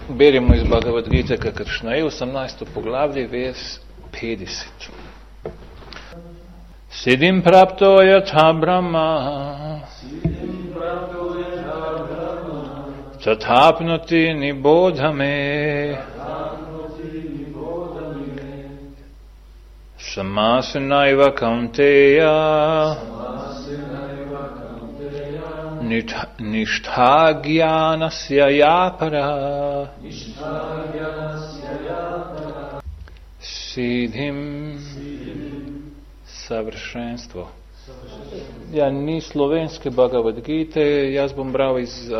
Beremo iz Bhagavad Gite, kakršna je 18. poglavlje, vers 50. Siddhim prapto yatha brahma tathapnoti nibodhame samasanaiva kaunteya nishtha jnanasya yapara siddhim savršenstvo. Ja, ni slovenske Bhagavad Gite, jaz bom bral iz...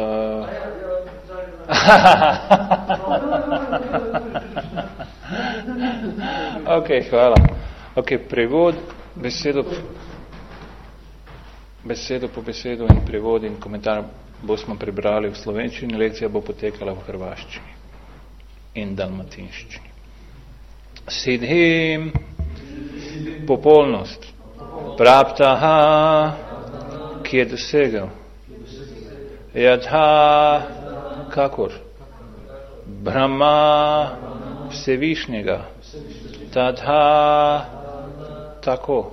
Ok, hvala. Ok, prevod, besedo po besedo in prevod in komentar bomo prebrali v slovenščini, lekcija bo potekala v hrvaščini in dalmatinščini. Siddhim, popolnost, praptaha, ki je dosegel, yatha, kakor, Brahma, vsevišnjega, tatha, tako,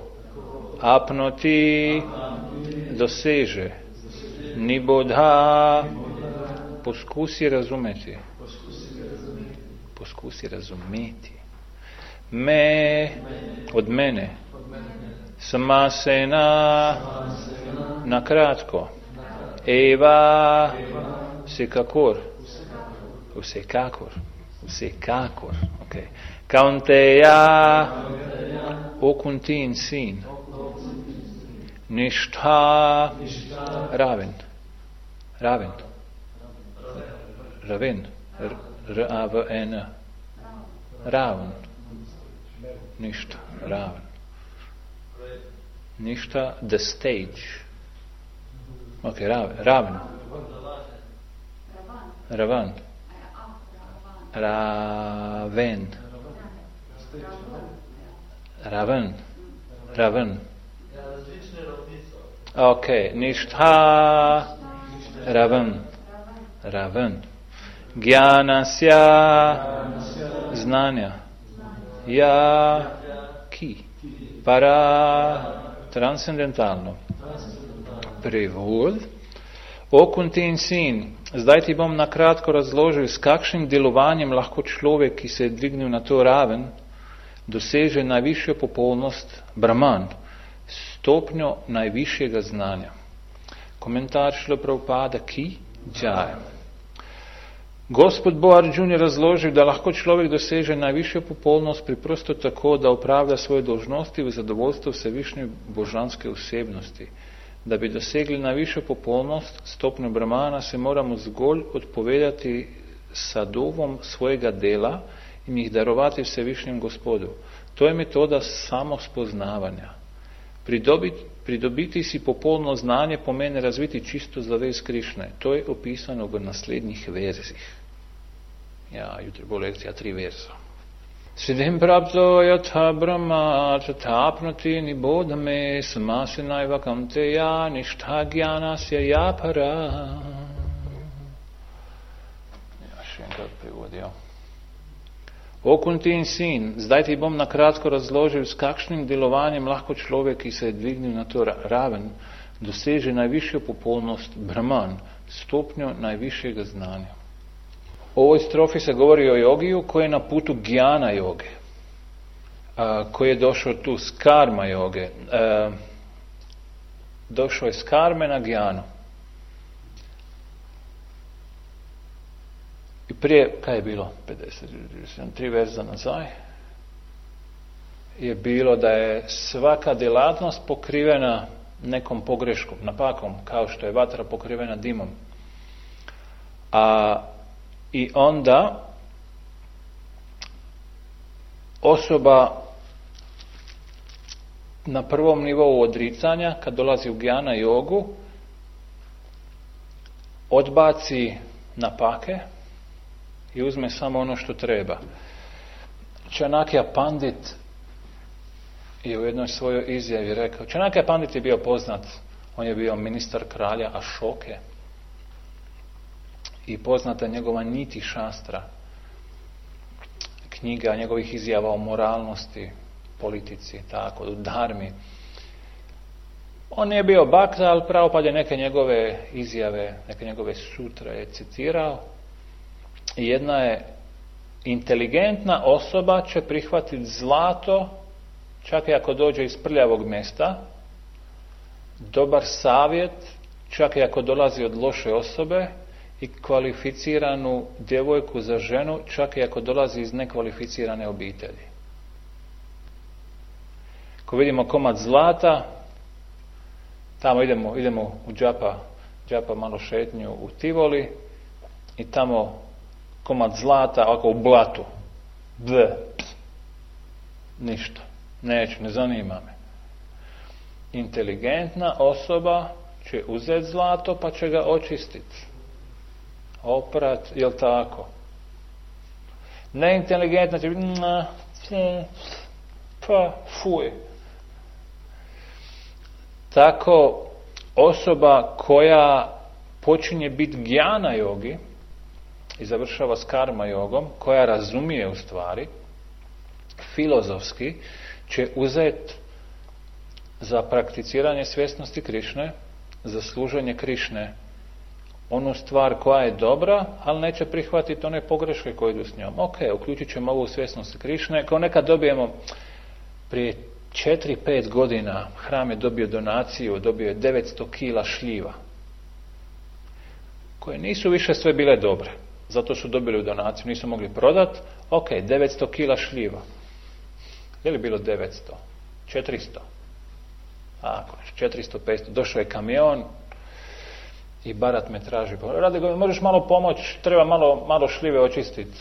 apnoti, doseže, nibodha, poskusi razumeti, me, od mene, samasena, nakratko, eva, vsekakor, okay. Kaunteya, okuntin sin, nishtha, raven, R-A-V-N, raven, nishtha, raven. Nishtha, the stage. Okay, raven. Raven. Okay, nishtha, raven. Jnanasya, znanja. Ja, ki. Para, transcendentalno. Prevod. Okuntin sin, zdaj ti bom nakratko razložil, s kakšnim delovanjem lahko človek, ki se je dvignil na to raven, doseže najvišjo popolnost Brahman, stopnjo najvišjega znanja. Komentar Šrila Prabhupada ki džaja. Gospod Bo Arjun je razložil, da lahko človek doseže najvišjo popolnost preprosto tako, da opravlja svoje dolžnosti v zadovoljstvo vsevišnje božanske osebnosti. Da bi dosegli najvišjo popolnost, stopnjo Brahmana, se moramo zgolj odpovedati sadovom svojega dela in jih darovati vsevišnjem Gospodu. To je metoda samospoznavanja. Pridobiti si popolno znanje pomeni razviti čisto zavest Krišne. To je opisano v naslednjih verzih. Ja, jutri bo lekcija 3 verza. Siddhim prapto yatha brahma tathapnoti nibodhame samasanaiva kaunteya nishtha jnanasya yapara. Ja, še enkrat prevodijo. Okuntin sin, zdaj ti bom nakratko razložil, s kakšnim delovanjem lahko človek, ki se je dvignil na to raven, doseže najvišjo popolnost Brahman, stopnjo najvišjega znanja. U ovoj strofi se govori o jogiju koji je na putu gjana joge, koji je došao tu s karma joge. Došao je s karme na gjanu. I prije, kaj je bilo? 3 verza nazaj. Je bilo da je svaka djelatnost pokrivena nekom pogreškom, napakom, kao što je vatra pokrivena dimom. I onda osoba na prvom nivou odricanja, kad dolazi u gjana jogu, odbaci napake i uzme samo ono što treba. Čanakya Pandit je u jednoj svojoj izjavi rekao, Čanakya Pandit je bio poznat, on je bio ministar kralja Ašoke i poznata njegova niti šastra, knjiga njegovih izjava o moralnosti, politici, tako, u dharmi. On nije bio bakta, ali Prabhupada je neke njegove izjave, neke njegove sutre je citirao. I jedna je inteligentna osoba će prihvatiti zlato, čak i ako dođe iz prljavog mjesta, dobar savjet, čak i ako dolazi od loše osobe, i kvalificiranu djevojku za ženu, čak i ako dolazi iz nekvalificirane obitelji. Ko vidimo komad zlata, tamo idemo u džapa malo šetnju u Tivoli i tamo komad zlata ovako u blatu. Ništa. Neću, ne zanima me. Inteligentna osoba će uzeti zlato pa će ga očistiti. Oprat, jel tako? Neinteligentna će biti pa fuj. Tako osoba koja počinje biti gjana jogi i završava s karma jogom, koja razumije u stvari, filozofski će uzeti za prakticiranje svjesnosti Krišne, za služenje Krišne, onu stvar koja je dobra, ali neće prihvatiti one pogreške koje idu s njom. Ok, uključit ćemo ovu svjesnost Krišne. Kao nekad dobijemo, prije 4-5 godina hram je dobio donaciju, dobio je 900 kila šljiva, koje nisu više sve bile dobre. Zato su dobili donaciju, nisu mogli prodati. Ok, 900 kila šljiva. Je li bilo 900? 400? Ako, 400, 500. Došao je kamion i Barat me traži. Rade, možeš malo pomoći, treba malo šljive očistiti.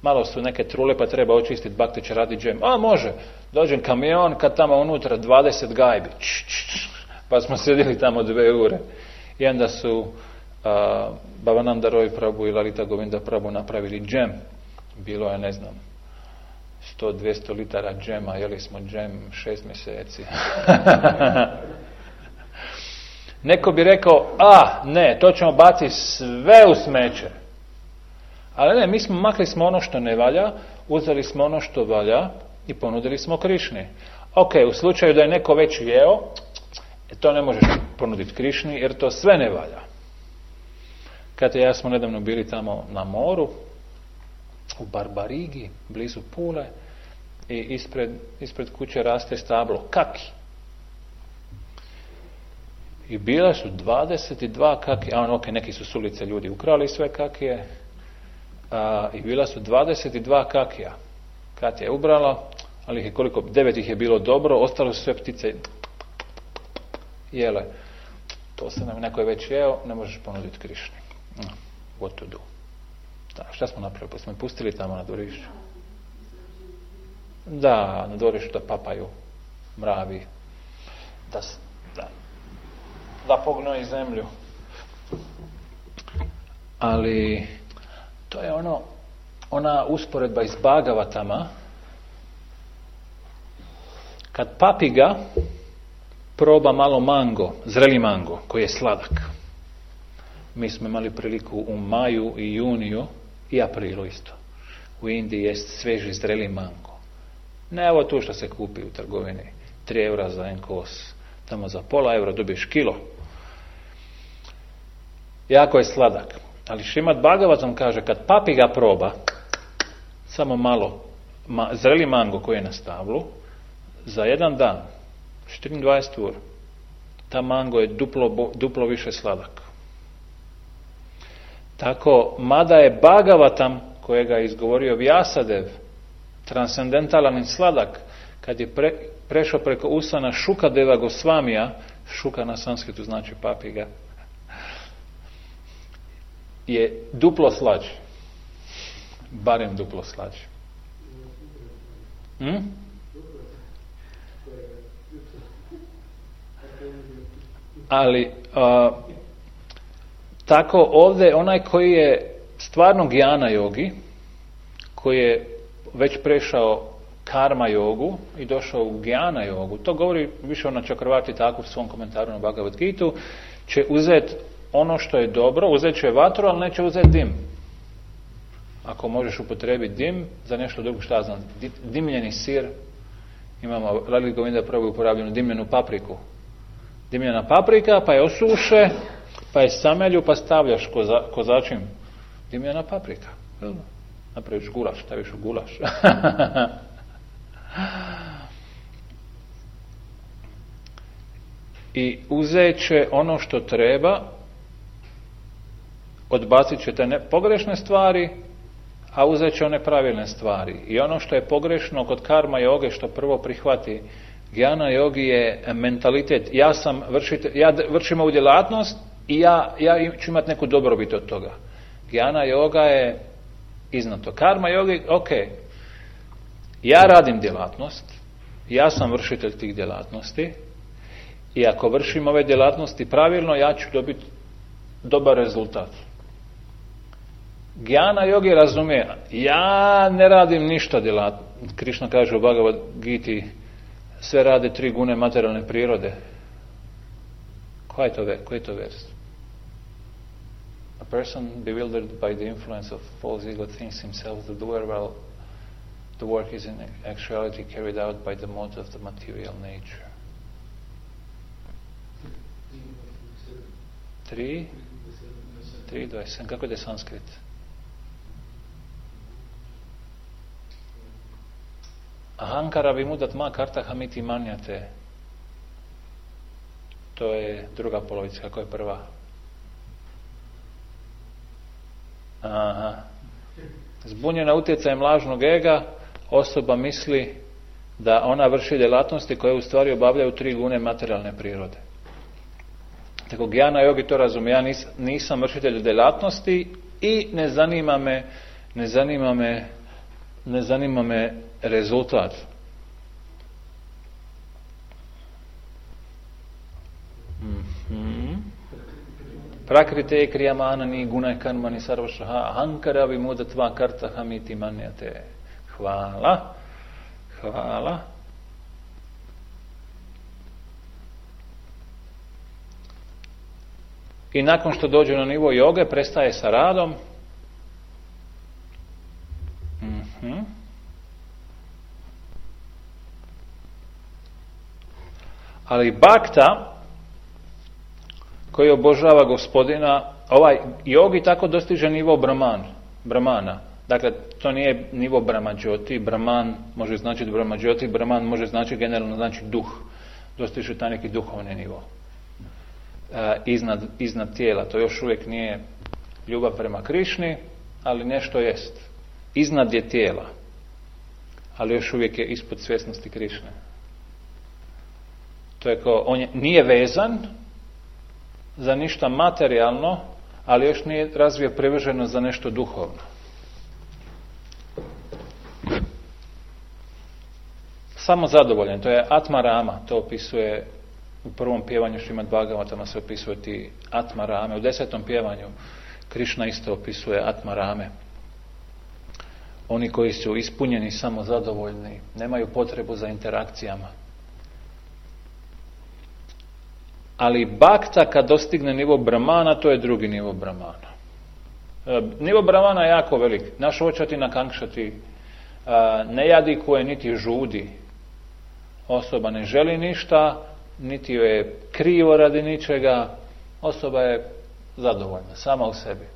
Malo su neke trule pa treba očistiti, Bhakti će raditi džem. A može, dođem kamion, kad tamo unutra 20 gajbi. Pa smo sjedili tamo 2 ure. I onda su Bhavananda Roy Prabhu i Lalita Govinda Prabhu napravili džem. Bilo je, ne znam, 100-200 litara džema, jeli smo džem 6 mjeseci. Neko bi rekao, ne, to ćemo baciti sve u smeće. Ali ne, mi smo makli smo ono što ne valja, uzeli smo ono što valja i ponudili smo Krišni. Ok, u slučaju da je neko već jeo, to ne možeš ponuditi Krišni jer to sve ne valja. Kad ja smo nedavno bili tamo na moru, u Barbarigi, blizu Pule, i ispred kuće raste stablo kaki. I bila su 22 kakije, neki su s ulice ljudi ukrali sve kakije, i bila su 22 kakija. Katja je ubrala, ali ih je 9 ih je bilo dobro, ostalo su sve ptice jele. To se nam neko je već jeo, ne možeš ponuditi Krišni. What to do? Da, šta smo napravili? Pa smo ih pustili tamo na dvorišću. Da, na dvorišću da papaju mravi. Da pognoji zemlju. Ali to je ona usporedba iz Bhagavatama. Kad papiga proba malo mango, zreli mango, koji je sladak. Mi smo imali priliku u maju i juniju i aprilu isto. U Indiji jest sveži zreli mango. Ne ovo tu što se kupi u trgovini. 3 eura za en kos. Tamo za pola eura dobiješ kilo. Jako je sladak. Ali Šrimad Bhagavatam kaže, kad papiga proba, samo malo, zreli mango koji je na stablu, za jedan dan, 24 ura, ta mango je duplo više sladak. Tako, mada je Bhagavatam, kojega je izgovorio Vyasadev, transcendentalan i sladak, kad je prešao preko usana Šukadeva Gosvamija, Šuka na sanskritu znači papiga, je duplo slađi. Barem duplo slađi. Ali tako ovdje onaj koji je stvarno gjana jogi, koji je već prešao karma jogu i došao u gjana jogu, to govori više na Čakravarti tako u svom komentaru na Bhagavad Gitu, će uzeti ono što je dobro, uzet će vatru, ali neće uzeti dim. Ako možeš upotrijebiti dim za nešto drugo, šta znam, dimljeni sir, imamo Rally Govinda prvo uporabljenu dimljenu papriku. Dimljena paprika, pa je osuše, pa je samelju, pa stavljaš kozačim. Dimljena paprika. Napraviš gulaš, staviš u gulaš. I uzet će ono što treba, odbacit će te pogrešne stvari, a uzet će one pravilne stvari. I ono što je pogrešno kod karma joge, što prvo prihvati Gjana jogi, je mentalitet. Ja vršim ovu djelatnost i ja ću imati neku dobrobit od toga. Gjana joga je iznad to. Karma jogi, ok, ja radim djelatnost, ja sam vršitelj tih djelatnosti i ako vršim ove djelatnosti pravilno, ja ću dobiti dobar rezultat. Gjana jogi razumije, ja ne radim ništa djelatno. Krišna kaže u Bhagavad Giti, sve rade 3 gune materijalne prirode. Koji je to vers? A person bewildered by the influence of false ego thinks himself the doer, while the work is in actuality carried out by the mode of the material nature. 3:27. Kako je sanskrit? Ahankara vimudat ma kartahamiti manjate. To je druga polovica. Kako je prva? Aha. Zbunjena utjecajem lažnog ega, osoba misli da ona vrši djelatnosti koje u stvari obavljaju 3 gune materijalne prirode. Tako Gjana jogi to razumije. Ja nisam vršitelj djelatnosti i ne zanima me rezultat. Prakrite kriyamana ni gunai karmani sarvashaha ahankara vimudatva kartahamiti manjate. Hvala. I nakon što dođe na nivo joge, prestaje sa radom. Ali bhakta koji obožava gospodina, ovaj jogi tako dostiže nivo brahmana. Dakle, to nije nivo brahmađoti. Brahman može značiti brahmađoti, brahman može značiti generalno znači duh. Dostiže taj neki duhovni nivo. Iznad tijela. To još uvijek nije ljubav prema Krišni, ali nešto jest. Iznad je tijela, ali još uvijek je ispod svjesnosti Krišne. To je kao, on nije vezan za ništa materijalno, ali još nije razvio privrženost za nešto duhovno. Samo zadovoljen, to je Atma Rama, to opisuje u prvom pjevanju Šrimad Bhagavatama se opisuje ti Atma Rame. U 10. pjevanju Krišna isto opisuje Atma Rame. Oni koji su ispunjeni, samo zadovoljni, nemaju potrebu za interakcijama. Ali bhakta kad dostigne nivo brahmana, to je drugi nivo brahmana. Nivo brahmana je jako velik. Naš očati na kankšati ne jadikuje niti žudi. Osoba ne želi ništa, niti joj je krivo radi ničega. Osoba je zadovoljna, sama u sebi.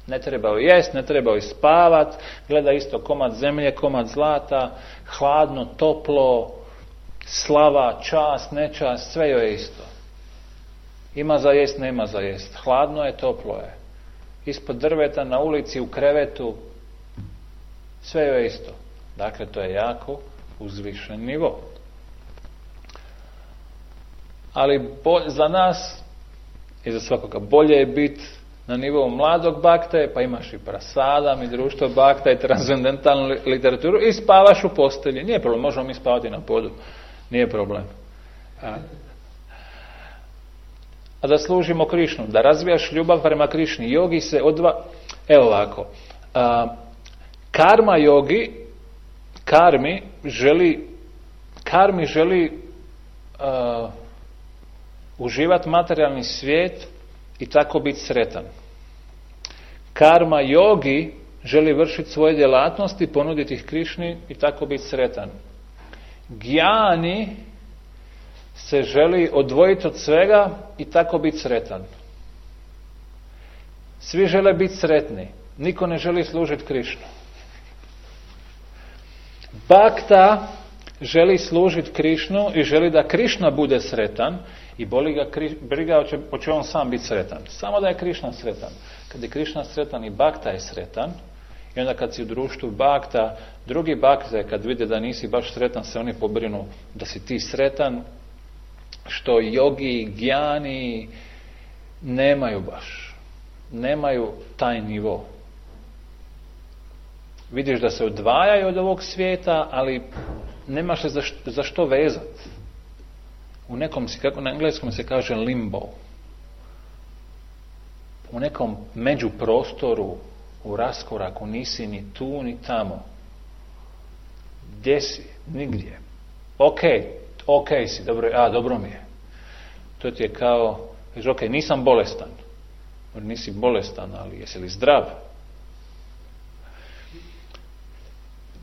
Ne treba joj jest, ne treba joj spavat, gleda isto komad zemlje, komad zlata, hladno, toplo, slava, čast, nečast, sve joj je isto. Ima za jest, nema za jest. Hladno je, toplo je. Ispod drveta, na ulici, u krevetu, sve joj je isto. Dakle, to je jako uzvišen nivo. Ali za nas i za svakoga bolje je biti na nivou mladog bhakte, pa imaš i prasadam i društvo bhakta i transcendentalnu literaturu i spavaš u postelji. Nije problem, možemo mi spavati na podu. Nije problem. A da služimo Krišnu, da razvijaš ljubav prema Krišni. Jogi se Evo ovako. Karma jogi, karmi želi uživati materijalni svijet i tako biti sretan. Karma yogi želi vršiti svoje djelatnosti, ponuditi ih Krišni i tako biti sretan. Gjani se želi odvojiti od svega i tako biti sretan. Svi žele biti sretni. Niko ne želi služiti Krišnu. Bhakta želi služiti Krišnu i želi da Krišna bude sretan i boli ga briga hoće on sam biti sretan. Samo da je Krišna sretan. Kad je Krišna sretan i Bhakta je sretan, i onda kad si u društvu Bhakta, drugi Bhakte kad vide da nisi baš sretan, se oni pobrinu da si ti sretan, što jogi, gjani nemaju baš. Nemaju taj nivo. Vidiš da se odvajaju od ovog svijeta, ali nemaš se za što vezati. U nekom, kako na engleskom se kaže limbo. U nekom međuprostoru, u raskoraku, nisi ni tu ni tamo. Gdje si? Nigdje. Ok si, dobro mi je. To ti je kao, ok, nisam bolestan. Nisi bolestan, ali jesi li zdrav?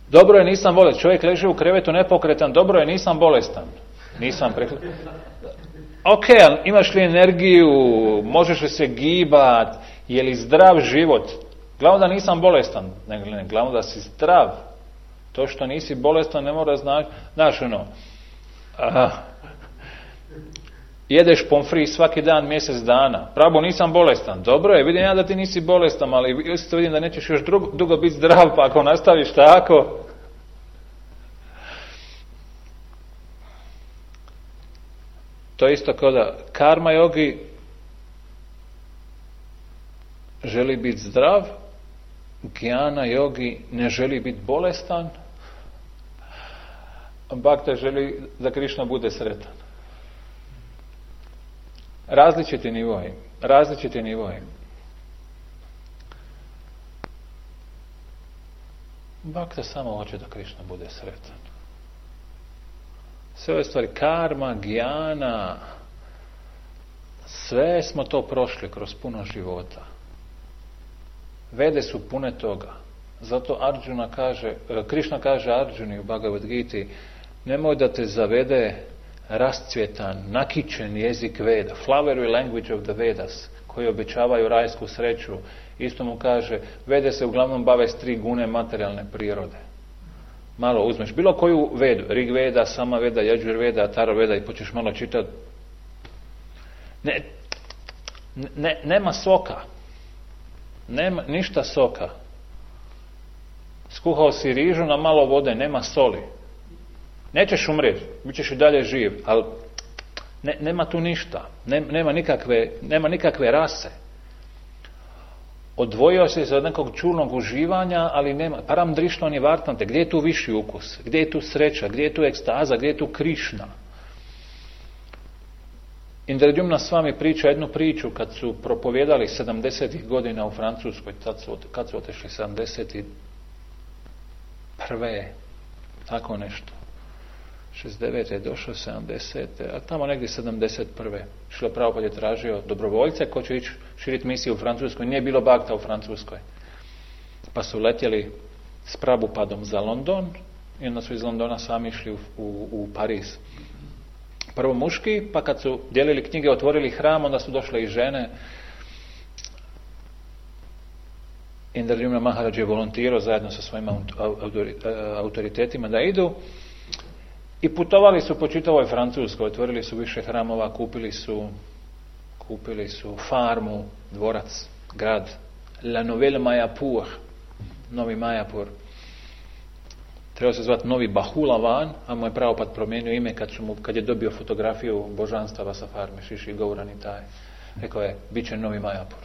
Dobro je, nisam bolestan. Čovjek leži u krevetu nepokretan, dobro je, nisam bolestan. Nisam prekletan. Ok, imaš li energiju, možeš li se gibat, je li zdrav život? Glavno da nisam bolestan, ne, glavno da si zdrav. To što nisi bolestan ne mora znači, znaš jedeš pomfri svaki dan mjesec dana. Pravo, nisam bolestan. Dobro je, vidim ja da ti nisi bolestan, ali isto vidim da nećeš još dugo biti zdrav, pa ako nastaviš tako. To je isto kao da karma yogi želi biti zdrav, Gjana yogi ne želi biti bolestan, Bhakta želi da Krišna bude sretan. Različiti nivoi. Bhakta samo hoće da Krišna bude sretan. Sve ove stvari, karma, gjana, sve smo to prošli kroz puno života. Vede su pune toga. Zato Krišna kaže Arjuni u Bhagavad Giti, nemoj da te zavede rascvjetan, nakićen jezik Veda, flowery language of the Vedas, koji obećavaju rajsku sreću. Isto mu kaže, Vede se uglavnom bave s 3 gune materijalne prirode. Malo uzmeš bilo koju Vedu, Rig Veda, Sama Veda, Yajur Veda, Atharva Veda i počneš malo čitati. Nema soka. Nema ništa soka. Skuhao si rižu na malo vode, nema soli. Nećeš umrijeti, bit ćeš i dalje živ, ali nema tu ništa. Nema nikakve rase. Odvojio se od nekog čulnog uživanja, ali nema. Param drištva vartante. Gdje je tu viši ukus? Gdje je tu sreća? Gdje je tu ekstaza? Gdje je tu Krišna? Indradjumna s vami priča jednu priču kad su propovijedali 70. godina u Francuskoj. Kad su otešli 71. Tako nešto. 69. je došao, 70. a tamo negdje 71. Šrila Prabhupada je tražio dobrovoljce ko će ići širiti misiju u Francuskoj. Nije bilo Bhakta u Francuskoj. Pa su letjeli s Prabhupadom za London i onda su iz Londona sami išli u Pariz. Prvo muški, pa kad su dijelili knjige, otvorili hram, onda su došle i žene. Indradjumna Maharaj je volontirao zajedno sa svojim autoritetima da idu. I putovali su po čitavoj Francuskoj, otvorili su više hramova, kupili su farmu, dvorac, grad, La Nouvelle Mayapur, Novi Mayapur. Trebao se zvati Novi Bahulavan, a mu je Prabhupada promijenio ime kad je dobio fotografiju božanstava sa farme, Šiši Gaurani taj. Rekao je, bit će Novi Mayapur.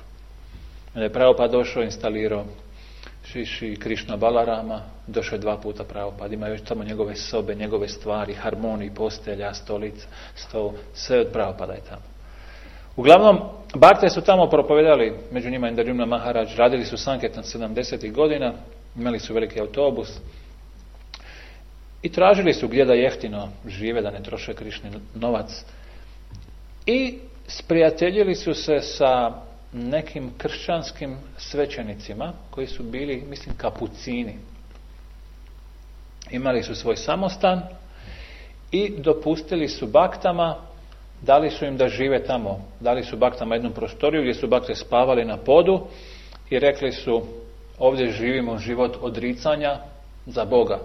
Onda je Prabhupada došao, instalirao Šiši Krišna Balarama, došao je 2 puta Prabhupada, ima još tamo njegove sobe, njegove stvari, harmoniji, postelja, stolica, stol, sve od Prabhupada je tamo. Uglavnom, Bhakte su tamo propovedali, među njima Indradjumna Maharaj, radili su Sanketan 70. godina, imali su veliki autobus i tražili su gdje da jeftino žive, da ne troše Krišni novac. i sprijateljili su se sa nekim kršćanskim svećenicima koji su bili, mislim, kapucini. Imali su svoj samostan i dopustili su baktama, dali su im da žive tamo, dali su baktama jednu prostoriju gdje su bakte spavali na podu i rekli su, ovdje živimo život odricanja za Boga.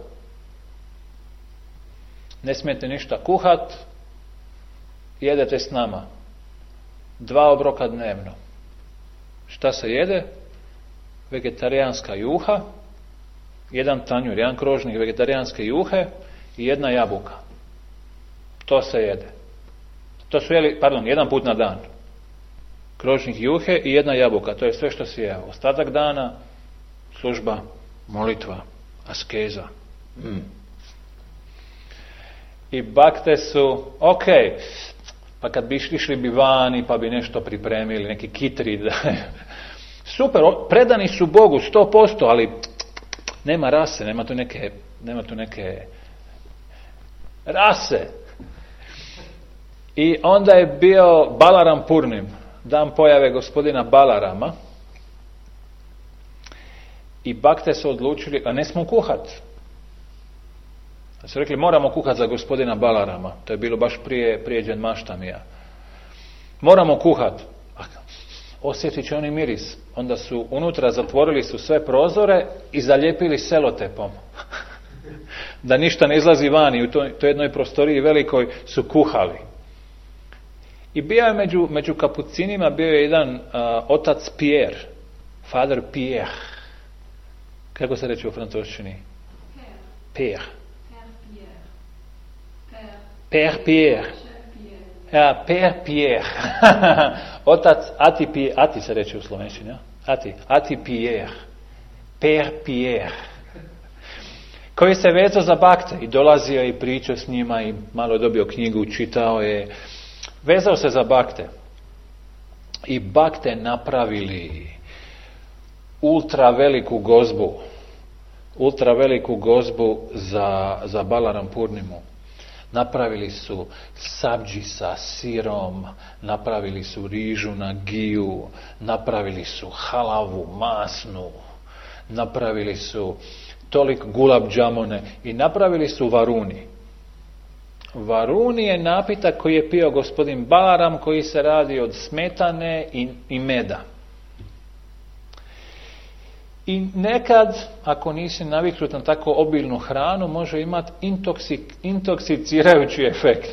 Ne smijete ništa kuhat, jedete s nama. 2 obroka dnevno. Šta se jede? Vegetarijanska juha, 1 tanjur, 1 krožnik vegetarijanske juhe i 1 jabuka. To se jede. To su jeli, 1 put na dan. Krožnik juhe i 1 jabuka. To je sve što si jeo. Ostatak dana, služba, molitva, askeza. I bakte su, ok, pa kad bi išli bi vani, pa bi nešto pripremili, neki kitri. Super, predani su Bogu 100%, ali nema rase, nema tu neke rase. I onda je bio Balaram Purnim, dan pojave gospodina Balarama. I bakte su odlučili, a ne smo kuhat. Su rekli, moramo kuhat za gospodina Balarama. To je bilo baš prije Dženmaštamija. Moramo kuhat. Osjetit će oni miris. Onda su unutra zatvorili su sve prozore i zalijepili selotepom. Da ništa ne izlazi vani. U toj jednoj prostoriji velikoj su kuhali. I bio je među kapucinima bio je jedan otac Pierre. Father Pierre. Kako se reče u francuščini? Pierre. Père Pierre. Ja, Père Pierre. Otac Ati se reče u slovenčini, ja? Ati Pierre. Père Pierre. Koji se vezao za bakte i dolazio i pričao s njima i malo je dobio knjigu, čitao je. Vezao se za bakte. I bakte napravili ultra veliku gozbu za Balaram Purnimu. Napravili su sabdži sa sirom, napravili su rižu na giju, napravili su halavu masnu, napravili su tolik gulab džamone i napravili su varuni. Varuni je napitak koji je pio gospodin Balaram, koji se radi od smetane i meda. I nekad, ako nisi naviknut na tako obilnu hranu, može imati intoksikirajući efekt.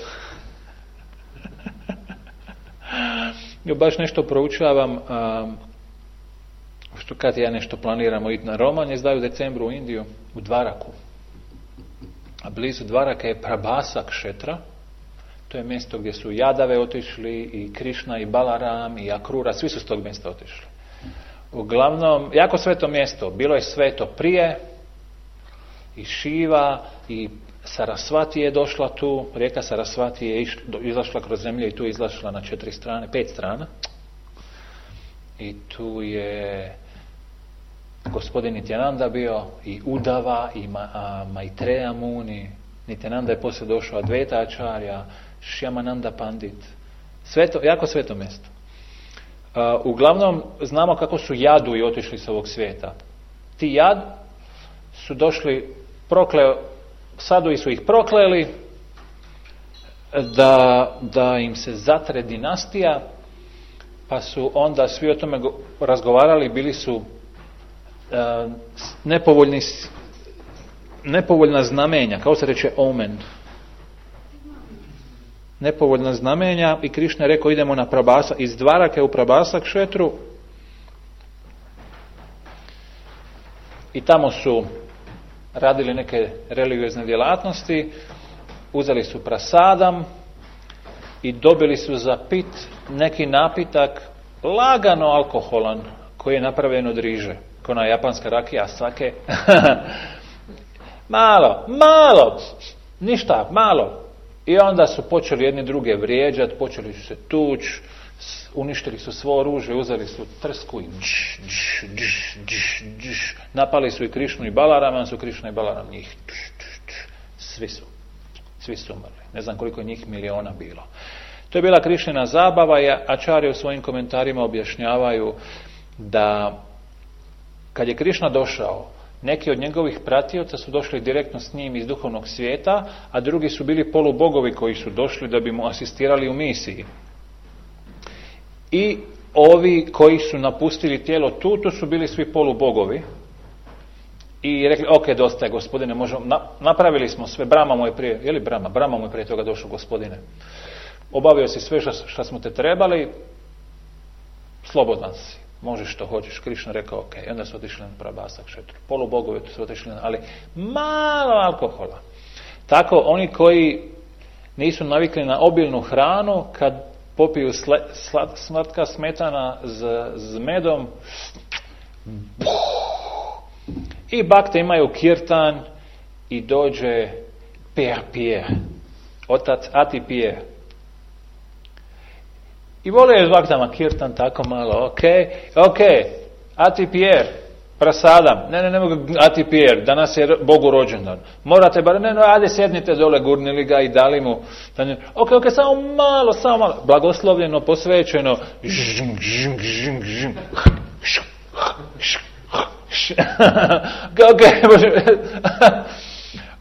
Ja baš nešto proučavam, što kad ja nešto planiramo iti na roman, je zdaju u decembru u Indiju, u Dvaraku. A blizu Dvaraka je Prabhasak Kshetra, to je mjesto gdje su Jadave otišli, i Krišna, i Balaram, i Akrura, svi su s tog mjesta otišli. Uglavnom, jako sveto mjesto. Bilo je sveto prije, i Šiva, i Sarasvati je došla tu, rijeka Sarasvati je izašla kroz zemlju i tu izašla na 4 strane, 5 strana. I tu je gospodin Nityananda bio, i Udava, i Maitreya Muni. Nityananda je poslije došao, Advaita Acharya, Shyamananda Pandit. Jako sveto mjesto. Uglavnom, znamo kako su Jadu i otišli s ovog svijeta. Ti Jad su došli, Sadui su ih prokleli da im se zatre dinastija, pa su onda svi o tome razgovarali, bili su nepovoljna znamenja, kao se reče omen. Nepovoljna znamenja, i Krišna je rekao, idemo na Prabhasa, iz Dvarake u Prabhasa Kshetru, i tamo su radili neke religiozne djelatnosti, uzeli su prasadam i dobili su za pit neki napitak lagano alkoholan koji je napravljen od riže, kao ona japanska rakija sake. malo, ništa, malo. I onda su počeli jedni druge vrijeđati, počeli su se tući, uništili su svo oružje, uzeli su trsku i napali su i Krišnu i Balarama, su Krišna i Balaram njih. Svi su umrli. Ne znam koliko je njih miliona bilo. To je bila Krišnina zabava, i Ačarje u svojim komentarima objašnjavaju da kad je Krišna došao, neki od njegovih pratioca su došli direktno s njim iz duhovnog svijeta, a drugi su bili polubogovi koji su došli da bi mu asistirali u misiji. I ovi koji su napustili tijelo tu, to su bili svi polubogovi. I rekli, ok, dosta je, gospodine, napravili smo sve, Brahma mu je prije toga došao, gospodine. Obavio si sve što smo te trebali, slobodan si, možeš što hoćeš. Krišna rekao, ok, i onda su otišli na Prabhasa Kšetru. Polubogovi su otišli ali malo alkohola. Tako, oni koji nisu navikli na obilnu hranu, kad popiju slatka smetana s medom, i bakte imaju kirtan i dođe Pierre, otac Ati Pierre. I vole je s baktama kirtan tako malo, ok, Ati Pierre, prasadam, ne mogu Ati Pierre, danas je Bogu rođendan. Morate ajde sjednite dole, gurnili ga i dali mu. Ok, samo malo, blagoslovljeno, posvećeno.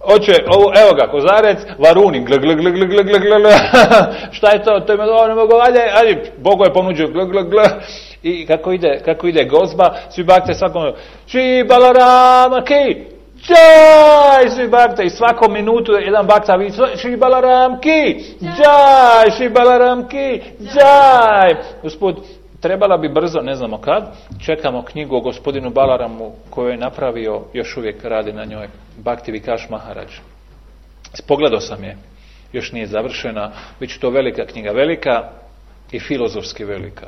Oče, evo ga, kozarec, varuni, šta je to? To je ne mogu, ajde, Bogu je ponuđio, i kako ide gozba, svi bakte svakom, Šri Balarama ki, džaj, svi bakte, i svakom minutu jedan bakta viče, Šri Balaram ki, džaj, Šri Balaram ki, džaj. Usput, trebala bi brzo, ne znamo kad, čekamo knjigu o gospodinu Balaramu koju je napravio, još uvijek radi na njoj, Bhakti Vikash Maharaj. Pogledao sam je, još nije završena, bit će to velika knjiga, velika i filozofski velika.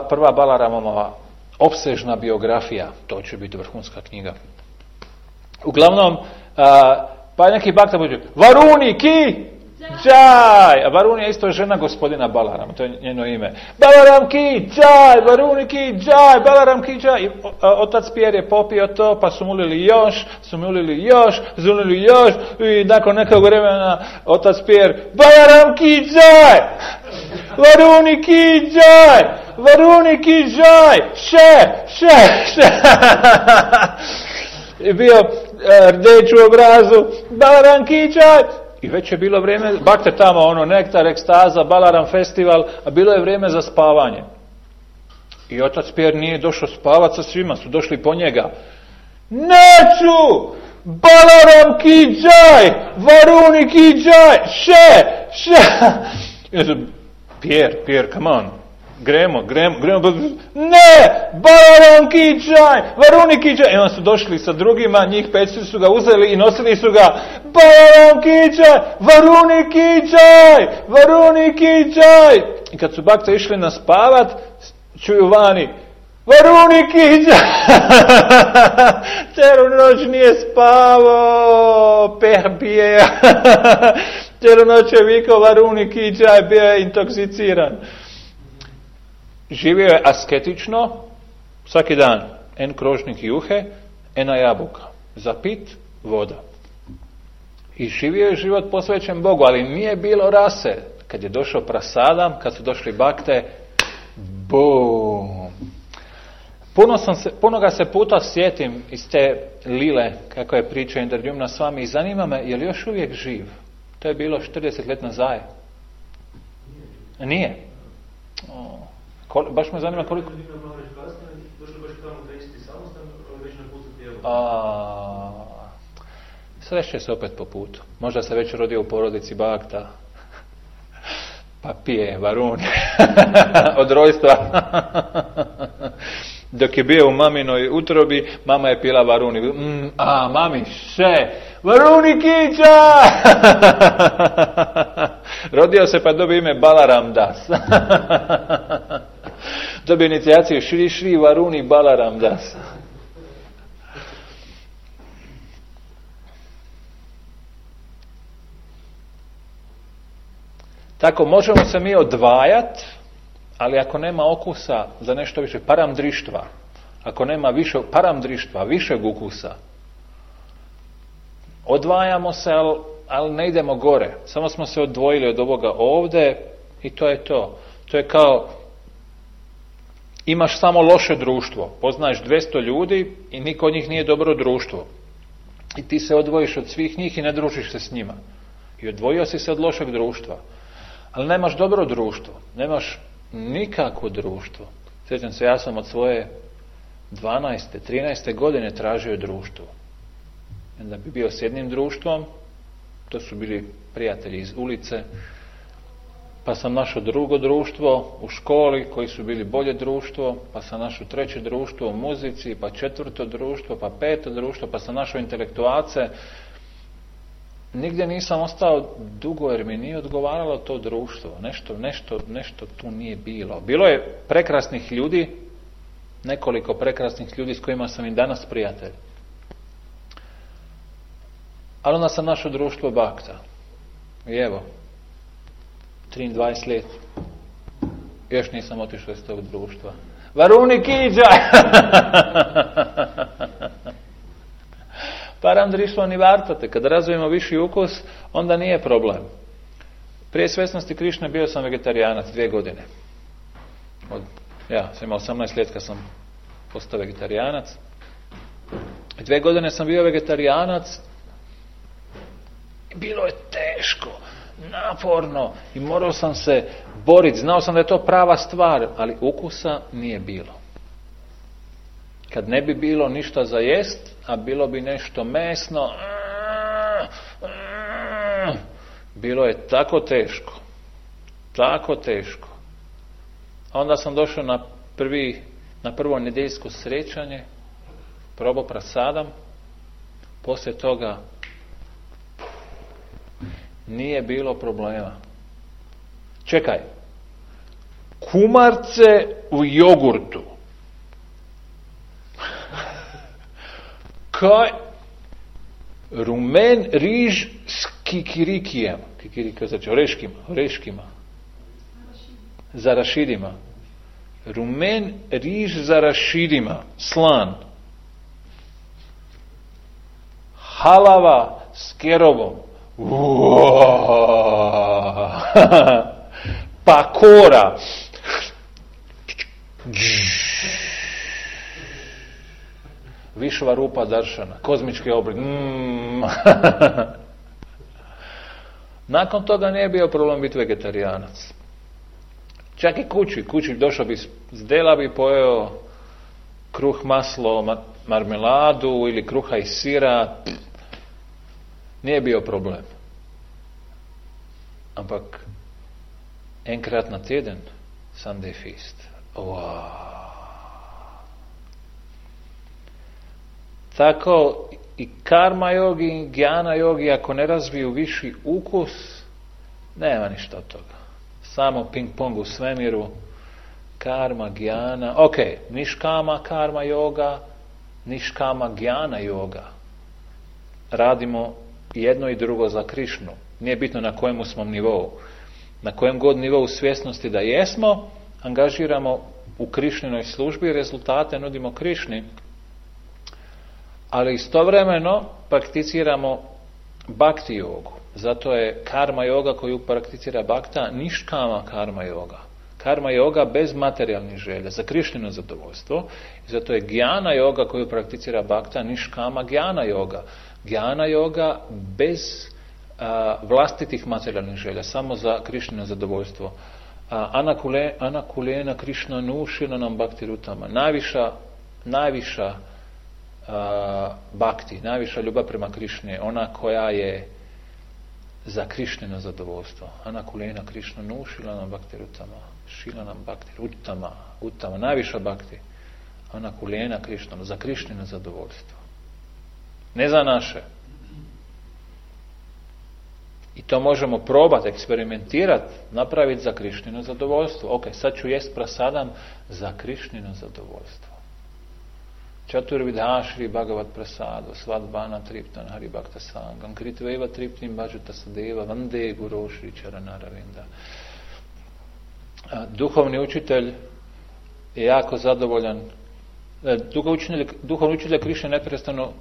Prva Balaramova opsežna biografija, to će biti vrhunska knjiga. Uglavnom, pa neki bakta bude, Varuni ki, džaj, a Varuni je isto žena gospodina Balarama, to je njeno ime. Balaram ki, džaj, Varuni ki, džaj, Balaram ki, džaj. Otac Pierre je popio to, pa su mulili još, i nakon nekog vremena otac Pierre, Balaram ki, džaj, Varuni ki, džaj, Varuni ki, džaj, še. I bio rdeć u obrazu, Balaram ki, džaj. I već je bilo vrijeme, bakte tamo, nektar, ekstaza, Balaram festival, a bilo je vrijeme za spavanje. I otac Pierre nije došao spavati sa svima, su došli po njega. Neću! Balaram ki džaj! Varuni ki džaj! Še! Pierre, come on. Gremo. Ne! Balaram ki džaj! Varuni ki džaj! I onda su došli sa drugima, njih 5 su ga uzeli i nosili su ga. Balaram ki džaj! Varuni ki džaj! Varuni ki džaj! I kad su bakte išli na spavat, čuju vani, Varuni ki džaj! Cijelu noć nije spavao, Pierre. Cijelu noć je vikao Varuni ki džaj, bio je intoksiciran. Živio je asketično, svaki dan, en krožnik juhe, ena jabuka, za pit, voda. I živio je život posvećen Bogu, ali nije bilo rase. Kad je došao prasadam, kad su došli bakte, bum! Puno ga se puta sjetim iz te lile, kako je priča Indradyumna s vami, i zanima me, je li još uvijek živ? To je bilo 40 let nazad. Nije? Baš me zanima koliko... Sreće se opet po putu. Možda se već rodio u porodici bakta. Pa pije Varuni. Od rojstva. Dok je bio u maminoj utrobi, mama je pila Varuni. Mami, Varuni kića! Rodio se pa dobio ime Balaram Das. Dobio inicijaciju Šri Varuni Balaram Das. Tako, možemo se mi odvajati, ali ako nema okusa za nešto više, paramdrištva, ako nema više paramdrištva, višeg ukusa, odvajamo se, ali ne idemo gore. Samo smo se odvojili od ovoga ovdje i to je to. To je kao imaš samo loše društvo. Poznaješ 200 ljudi i niko od njih nije dobro društvo. I ti se odvojiš od svih njih i ne družiš se s njima. I odvojio si se od lošeg društva. Ali nemaš dobro društvo. Nemaš nikakvo društvo. Sjećam se, ja sam od svoje 12. 13. godine tražio društvo. Da bi bio s jednim društvom, to su bili prijatelji iz ulice, pa sam našao drugo društvo u školi koji su bili bolje društvo, pa sam našao treće društvo u muzici, pa četvrto društvo, pa peto društvo, pa sam našao intelektualce. Nigdje nisam ostao dugo jer mi nije odgovaralo to društvo. Nešto tu nije bilo. Bilo je prekrasnih ljudi, nekoliko prekrasnih ljudi s kojima sam i danas prijatelj. Ali onda sam našao društvo bakta. I evo, 23 let. Još nisam otišao iz tog društva. Varuni kiđaj! Param drišlo ni vartate. Kada razvijemo viši ukus, onda nije problem. Prije svjesnosti Krišne bio sam vegetarijanac 2 godine. Ja sam imao 18 let kad sam postao vegetarijanac. 2 godine sam bio vegetarijanac. Bilo je teško, naporno i morao sam se boriti. Znao sam da je to prava stvar, ali ukusa nije bilo. Kad ne bi bilo ništa za jest, a bilo bi nešto mesno, bilo je tako teško. Tako teško. A onda sam došao na prvo nedeljsko srećanje, probao prasadam, poslije toga nije bilo problema. Čekaj, kumarce u jogurtu. Kaj? Rumen riž s kikirikijem. Kikirika znači oreškima. Za rašidima. Rumen riž za rašidima. Slan. Halava s kerovom. Pakora. Višva rupa daršana. Kozmički oblik. Nakon toga nije bio problem biti vegetarijanac. Čak i kući došao bi s dela, bi pojeo kruh, maslo, marmeladu ili kruha i sira. Nije bio problem. Ampak enkrat na teden Sunday feast. Wow. Tako i karma jogi i gyana jogi, ako ne razviju viši ukus, nema ništa od toga. Samo ping pong u svemiru, karma, gyana. Ok, niškama karma yoga, niškama gyana yoga. Radimo jedno i drugo za Krišnu. Nije bitno na kojemu smo nivou. Na kojem god nivou svjesnosti da jesmo, angažiramo u Krišninoj službi, rezultate nudimo Krišni, ali istovremeno prakticiramo bhakti jogu. Zato je karma yoga koju prakticira bhakta niškama karma yoga. Karma yoga bez materijalnih želja, za Krišnino zadovoljstvo. Zato je gyana yoga koju prakticira bhakta niškama gyana yoga. Gyana yoga bez vlastitih materijalnih želja, samo za Krišnino zadovoljstvo. Anakulena Krišna nušila nam bhakti rutama. Najviša bhakti, najviša ljubav prema Krišni, ona koja je za Krišnino zadovoljstvo. Anakulena Krišna nušila nam bhakti rutama. Šila nam bhakti rutama. Najviša bhakti. Anakulena Krišna, za Krišnino zadovoljstvo. Ne za naše. I to možemo probati, eksperimentirati, napraviti za Krišnino zadovoljstvo. Ok, sad ću jest prasadam za Krišnino zadovoljstvo. Čaturvidha Šri Bhagavat Prasado, Svadbana Triptan Hari Bhakta Sangam, Kritveva Triptim Bhajuta Sadeva, Vande Guru Šri Charanaravinda. Duhovni učitelj je jako zadovoljan Duhovni učitelj Krišne neprestano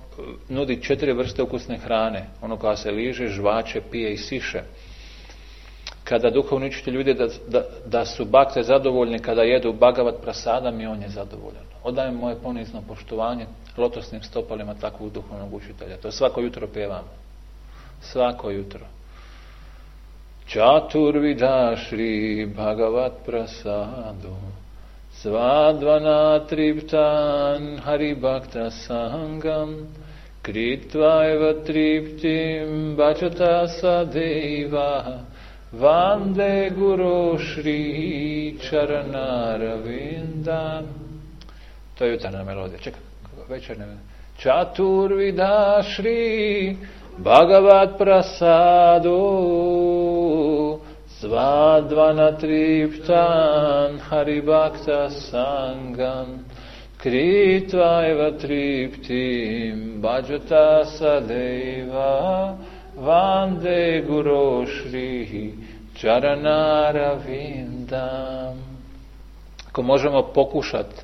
nudi 4 vrste ukusne hrane. Ono koja se liže, žvače, pije i siše. Kada duhovni učitelj vidi da su bakte zadovoljni kada jedu Bhagavad prasadam, i on je zadovoljan. Odajem moje ponizno poštovanje lotosnim stopalima takvog duhovnog učitelja. To svako jutro pjevamo. Svako jutro. Čaturvida Šri Bhagavad prasadu Svadvana triptan Hari Bhakta Sangam Kritva eva triptim Bhajata sadeva Vande Guru Šri Čaranaravinda. To je jutarnja melodija. Čekaj, večernja melodija. Čaturvida Šri Bhagavad prasadu Svadvana triptan Hari Bhakta Sangam Kritva eva triptim Bhajata sadeva Vande Guru Šri Čaranaravinda. Ako možemo pokušati,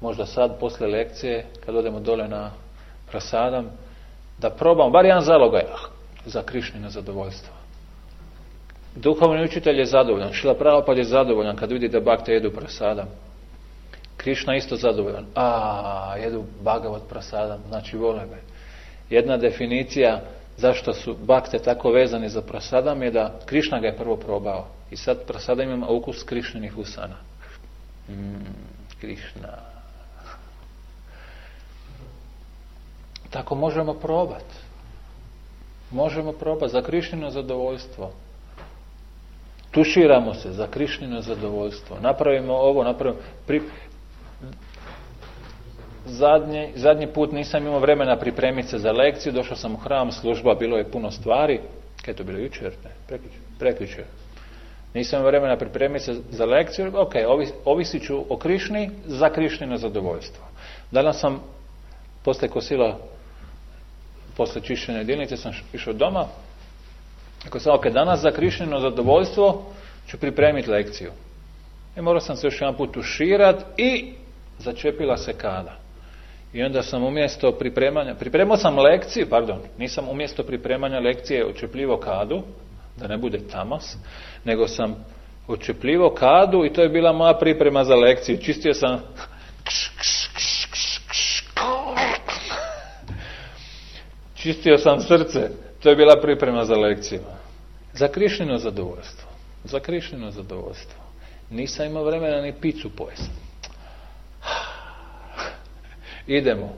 možda sad, posle lekcije, kad odemo dole na prasadam, da probamo, bar jedan zalogaj, za Krišnino zadovoljstvo. Duhovni učitelj je zadovoljan, Šrila Prabhupada je zadovoljan kad vidi da bakte jedu prasadam. Krišna isto zadovoljan. Jedu Bhagavad prasadam, znači vole me. Jedna definicija zašto su bakte tako vezani za prasadam je da Krišna ga je prvo probao. I sad prasadam ima ukus Krišninih usana. Krišna. Tako možemo probati. Možemo probati za Krišnino zadovoljstvo. Tuširamo se za Krišnino zadovoljstvo. Napravimo ovo, Zadnji put nisam imao vremena pripremiti se za lekciju, došao sam u hram, služba, bilo je puno stvari. Kaj je to bilo, jučer? Prekjučer. Nisam imao vremena pripremiti se za lekciju, ovisit ću o Krišni za Krišnino zadovoljstvo. Danas sam, poslije kosila, poslije čišćenja jedinice, sam išao doma. Ako sam, danas za Krišnino zadovoljstvo ću pripremiti lekciju. I morao sam se još jedan put tuširati i začepila se kada. I onda sam umjesto pripremao sam lekciju, nisam umjesto pripremanja lekcije očepljivao kadu, da ne bude tamas, nego sam očepljivao kadu i to je bila moja priprema za lekciju. Čistio sam čistio sam srce. To je bila priprema za lekciju. Za Krišnino zadovoljstvo. Za Krišnino zadovoljstvo. Nisam imao vremena ni picu pojesti. Idemo.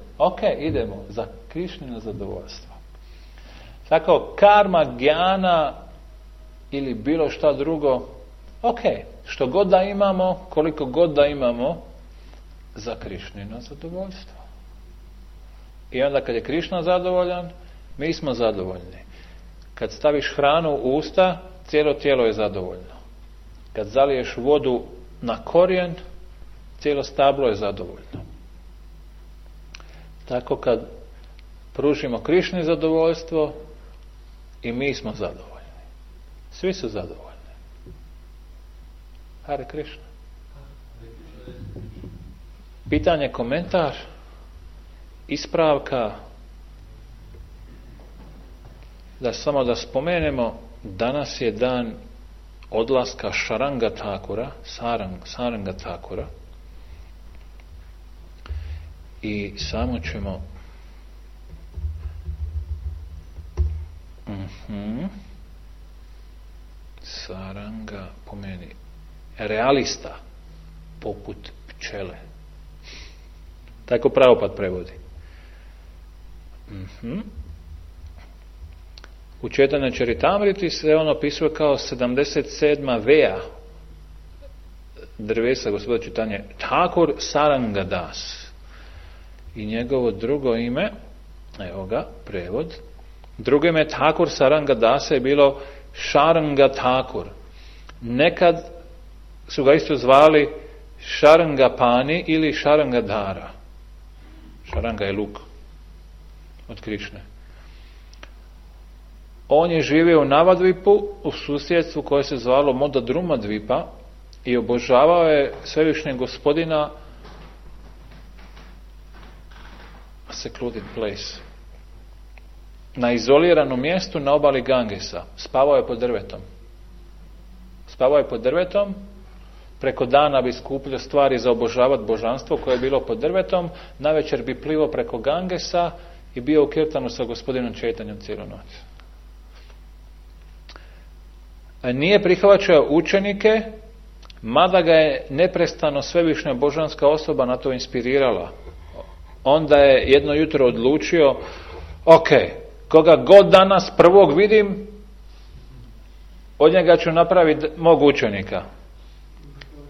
Idemo. Za Krišnino zadovoljstvo. Tako, karma, gjana ili bilo šta drugo, što god da imamo, koliko god da imamo, za Krišnino zadovoljstvo. I onda kad je Krišna zadovoljan, mi smo zadovoljni. Kad staviš hranu u usta, cijelo tijelo je zadovoljno. Kad zaliješ vodu na korijen, cijelo stablo je zadovoljno. Tako kad pružimo Krišni zadovoljstvo, i mi smo zadovoljni. Svi su zadovoljni. Hare Krišna. Pitanje, komentar, ispravka. Samo da spomenemo, danas je dan odlaska Šaranga Thakura, Saranga Thakura, i samo ćemo Saranga pomeni realista poput pčele. Tako Prabhupada prevodi. U Četanja Čaritamriti se on opisuje kao 77. veja drvesa Gospoda Čitanje, Thakur Sarangadas. I njegovo drugo ime, evo ga, prevod, drugo ime Thakur Sarangadasa je bilo Šaranga Thakur. Nekad su ga isto zvali Šarangapani ili Šarangadara. Šaranga je luk od Krišne. On je živio u Navadvipu, u susjedstvu koje se zvalo Modadruma Dvipa, i obožavao je svevišnjeg Gospodina secluded place. Na izoliranom mjestu na obali Gangesa. Spavao je pod drvetom. Spavao je pod drvetom. Preko dana bi skupljao stvari za obožavati božanstvo koje je bilo pod drvetom. Navečer bi plivao preko Gangesa i bio u kirtanu sa gospodinom Čaitanjom cijelu noć. Nije prihvaćao učenike, mada ga je neprestano svevišnja božanska osoba na to inspirirala. Onda je jedno jutro odlučio, ok, koga god danas prvog vidim, od njega ću napraviti mog učenika.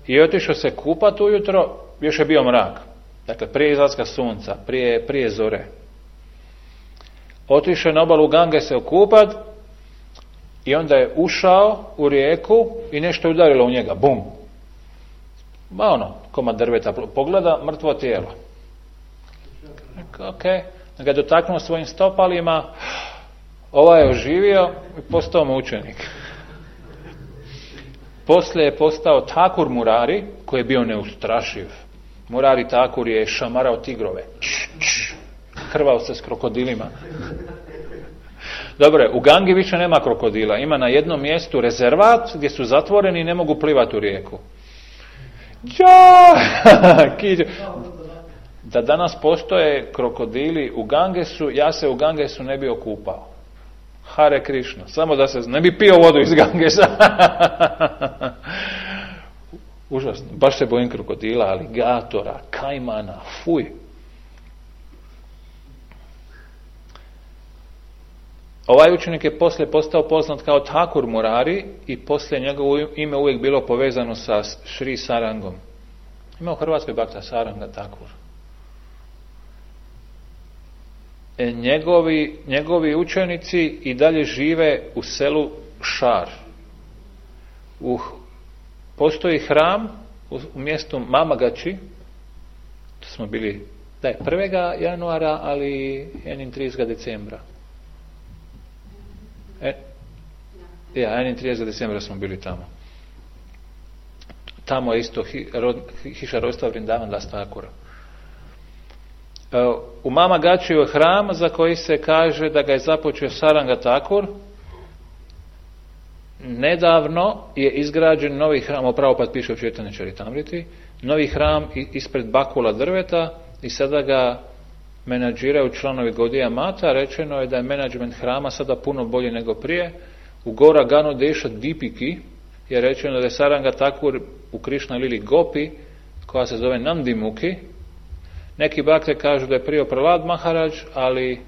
I otišao se kupat ujutro, još je bio mrak. Dakle, prije izlaska sunca, prije zore. Otišao je na obalu Gange se okupat i onda je ušao u rijeku i nešto je udarilo u njega. Bum! Komad drveta. Pogleda, mrtvo tijelo. Ok. Ga je dotaknuo svojim stopalima, ovaj je oživio i postao mu učenik. Poslije je postao Thakur Murari, koji je bio neustrašiv. Murari Thakur je šamarao tigrove. Hrvao se s krokodilima. Dobro, u Gangi više nema krokodila. Ima na jednom mjestu rezervat gdje su zatvoreni i ne mogu plivati u rijeku. Da danas postoje krokodili u Gangesu, ja se u Gangesu ne bi okupao. Hare Krishna. Samo da se ne bi pio vodu iz Gangesa. Užasno. Baš se bojim krokodila, aligatora, kajmana, fuj. Ovaj učenik je poslije postao poznat kao Thakur Murari i poslije njegovo ime uvijek bilo povezano sa Šri Sarangom. Ima u Hrvatskoj Bhakta Saranga Thakur. Njegovi učenici i dalje žive u selu Šar. Postoji hram u mjestu Mamagači, to smo bili 1. januara, ali 31. decembra. 31. decembra smo bili tamo. Tamo je isto hiša rodstva Vrindavan Das Thakura. U Mamagačiju je hram za koji se kaže da ga je započeo Saranga Thakur. Nedavno je izgrađen novi hram, Prabhupada piše u Chaitanya Charitamriti, novi hram ispred bakula drveta i sada ga menadžiraju članovi Gaudiya Mata. Rečeno je da je menadžment hrama sada puno bolje nego prije. U Gora Gano Deša Dipiki je rečeno da je Saranga Thakur u Krishna Lili Gopi, koja se zove Nandimuki. Neki bakte kažu da je prije Prahlad Maharaj, ali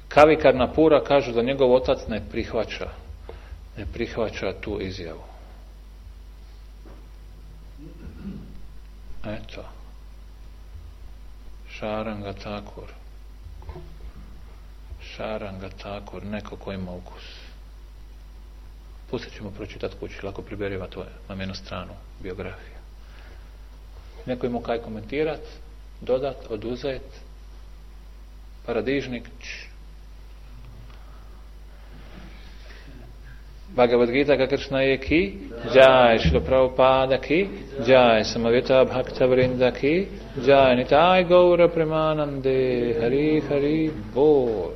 Kavi Karnapura kažu da njegov otac ne prihvaća tu izjavu. Eto. Saranga Thakur, neko ko ima ukus. Pustit ćemo pročitati kući, lako priberiva to na jednu stranu biografije. Neko ima kaj komentirat, dodat, oduzet, paradižnik. Bhagavad Gita ka Krishna je ki, Jai Śrīla Prabhupada ki, Jai Samavita Bhakta Vrinda ki, Jai Nitai Gaura Premanande, Hari Hari Bol.